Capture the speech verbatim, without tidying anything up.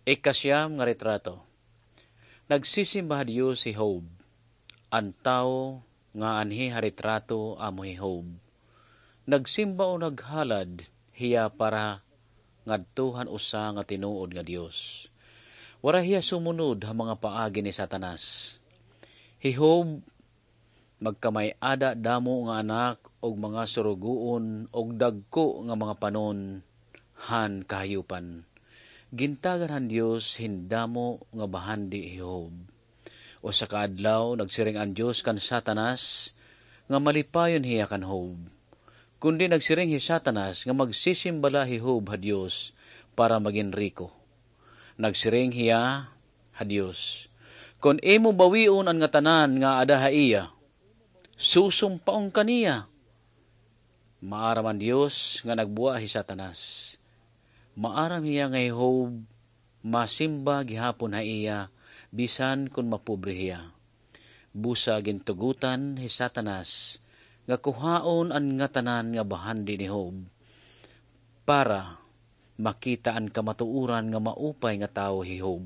Ikasiyam nga retrato. Nagsisimba ha Dios hi Job. An tawo nga anhi ha retrato amo hi Job. Nagsimba o naghalad hiya para ngadto han usa nga tinuod nga Dios. Waray hiya sumunod ha mga paagi ni Satanas. Hi Job, magkamay-ada damo nga anak ug mga surugoon ug dagko nga mga panon han kahayupan. Gintagan han Dios hin damo nga bahandi hi Job. Usa ka adlaw, nagsiring an Dios kan Satanas nga malipayon hiya kan Job. Kundi nagsiring hi Satanas nga magsisimba la hi Job ha Dios para magin riko. Nagsiring hiya ha Dios, "Kon imo bawion an ngatanan nga ada ha iya, susumpaon ka niya." Maaram an Dios nga nagbua hi Satanas. Maaram hiya nga hi Job masimba gihapon ha iya, bisan kon mapobre hiya. Busa gintugotan hi Satanas nga kuhaon an ngatanan nga bahandi ni Job para makita an kamatuoran nga maupay nga tawo hi Job.